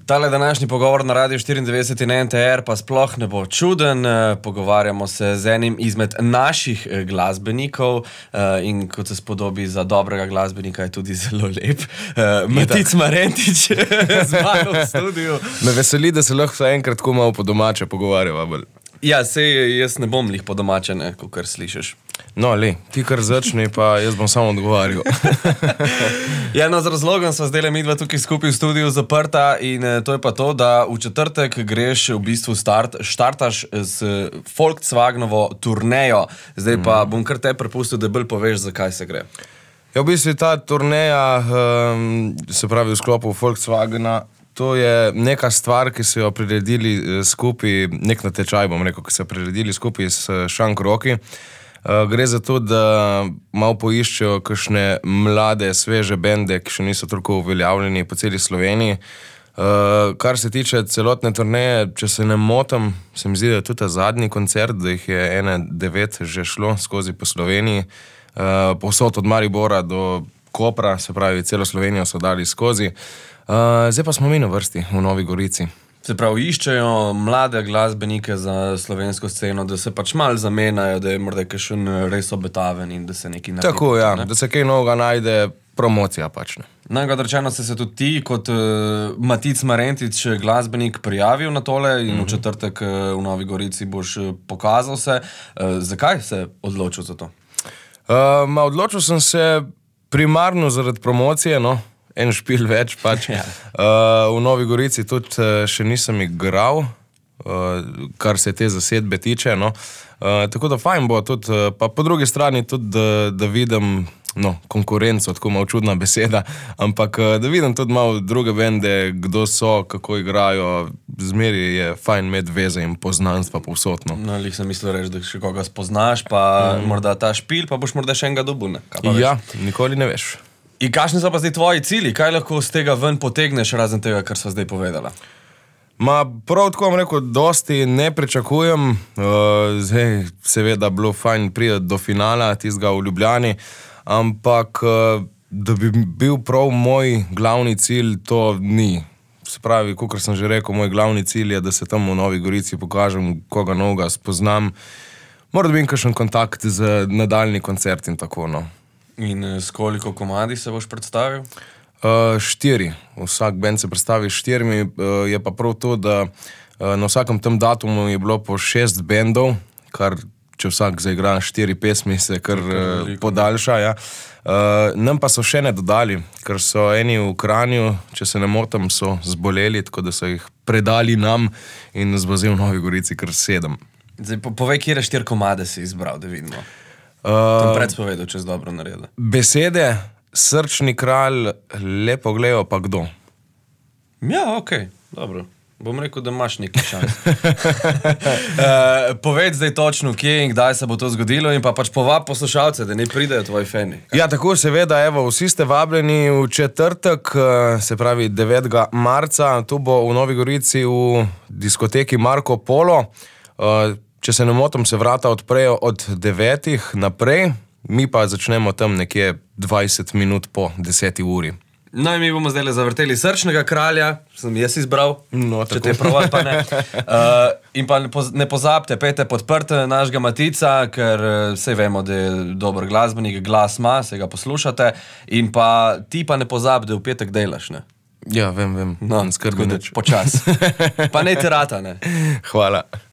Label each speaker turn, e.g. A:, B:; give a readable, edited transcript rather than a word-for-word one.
A: Tale današnji pogovor na Radio 94 in NTR pa sploh ne bo čuden. Pogovarjamo se z enim izmed naših glasbenikov in kot se spodobi za dobrega glasbenika je tudi zelo lep. Matic Marentič z mano v studiu.
B: Me veseli, da se lahko enkrat ko malo po domače pogovarjava.
A: Ja, sej jaz ne bom lih po domače, ne, kakor slišiš.
B: No, ti kar začni, pa jaz bom samo odgovarjal.
A: Ja, no, z razlogom sva zdaj midva tukaj skupaj v studiu zaprta in to je pa to, da v četrtek greš v bistvu štartaš s Volkswagenovo turnejo. Zdaj pa bom kar te prepustil, da bolj poveš, zakaj se gre.
B: Ja, v bistvu ta turneja, se pravi v sklopu Volkswagena, to je neka stvar, ki so jo priredili skupaj, nek natečaj bom rekel, ki so jo priredili skupaj s Šank Roki. Gre za to, da malo poiščejo kakšne mlade, sveže bende, ki še niso toliko uveljavljeni po celi Sloveniji. Kar se tiče celotne turneje, če se ne motim, se mi zdi, da je tudi ta zadnji koncert, da jih je 9 že šlo skozi po Sloveniji, povsod od Maribora do Kopra, se pravi, celo Slovenijo so dali skozi. Zdaj pa smo mi na vrsti v Novi Gorici.
A: Se pravi, iščejo mlade glasbenike za slovensko sceno, da se pač malo zamenjajo, da je morda kakšen res obetaven in da se nekaj naredi.
B: Tako, ja, da se kaj novega najde, promocija pač ne.
A: Najkrat rečeno se tudi ti kot Matic Marentič glasbenik prijavil na tole in v četrtek v Novi Gorici boš pokazal se. Zakaj se odločil za to?
B: Odločil sem se primarno zaradi promocije, no. En špil več pač.
A: Ja.
B: V Novi Gorici tudi še nisem igral, kar se te zasedbe tiče, no. Tako da fajn bo tudi, pa po drugi strani tudi, da vidim, no, konkurenco, tako malo čudna beseda, ampak da vidim tudi malo druge bende, kdo so, kako igrajo, zmeri je fajn imeti veze in poznanstva povsod, no.
A: No, lih sem mislil reči, da še koga spoznaš, pa morda ta špil, pa boš morda še enega dobil, ne?
B: Ja, nikoli ne veš.
A: In kakšni so pa zdaj tvoji cilji? Kaj lahko z tega ven potegneš, razen tega, kar sva zdaj povedala?
B: Prav tako vam rekel, dosti ne pričakujem. Zdaj seveda bilo fajn priti do finala, tistega v Ljubljani, ampak da bi bil prav moj glavni cilj, to ni. Se pravi, kakor sem že rekel, moj glavni cilj je, da se tam v Novi Gorici pokažem, koga novega spoznam. Moram biti kakšen kontakt z nadaljni koncert in tako, no.
A: In s koliko komadi se boš predstavil?
B: 4. Vsak band se predstavi 4. Je pa prav to, da na vsakem tem datumu je bilo po 6 bendov, kar če vsak zaigra 4 pesmi, se kar podaljša. Ja. Nam pa so še ne dodali, ker so eni v Kranju, če se ne motim, so zboleli, tako da so jih predali nam in nas bo zdaj v Novi Gorici kar 7.
A: Zdaj, povej, kjere 4 komade si izbral, da vidimo. Tam predspovedal, če si dobro naredil.
B: Besede, Srčni kralj, Lepo glejo, pa kdo?
A: Ja, okej, dobro. Bom rekel, da imaš neki šans. Povedz zdaj točno, kje in kdaj se bo to zgodilo in pa pač povab poslušalce, da ne pridejo tvoji fani.
B: Ja, tako seveda, evo, vsi ste vabljeni v četrtek, se pravi 9. marca, tu bo v Novi Gorici v diskoteki Marko Polo. Če se ne motim, se vrata odprejo od 9 naprej, mi pa začnemo tam nekje 20 minut po 10 uri.
A: No in mi bomo zdaj zavrteli Srčnega kralja, sem jaz izbral,
B: no,
A: če te prav pa ne. In pa ne pozabite, pejte podprte našega Matica, ker sej vemo, da je dober glasbenik, glas ima, se ga poslušate. In pa ti pa ne pozabi, da v petek delaš, ne?
B: Ja, vem,
A: no,
B: skrbi nič.
A: Počas. Pa ne terata, ne?
B: Hvala.